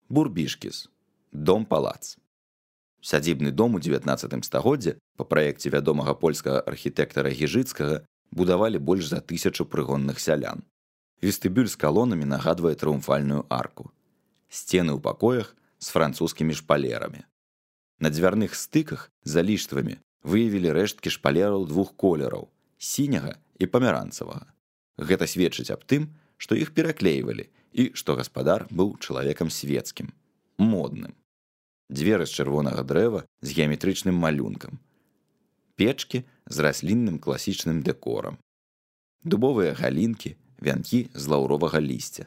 Бурбішкіс. Дом-палац. Сядзібны дом у 19 стагоддзі па праекце вядомага польскага архітэктара Гіжыцкага будавалі больш за 1000 прыгонных сялян. Вестыбюль з калонамі нагадвае трыумфальную арку. Сцены ў пакоях з французскімі шпалерамі. На дзвярных стыках за ліштвамі выявілі рэшткі шпалераў двух колераў – сіняга і памеранцавага. Гэта сведчыць аб тым, што іх пераклейвалі і што гаспадар быў чалавекам свецкім, модным. Дзверы з чырвонага дрэва з геаметрычным малюнкам. Печкі з раслінным класічным дэкорам. Дубовыя галінкі, вянкі з лаўровага лісця.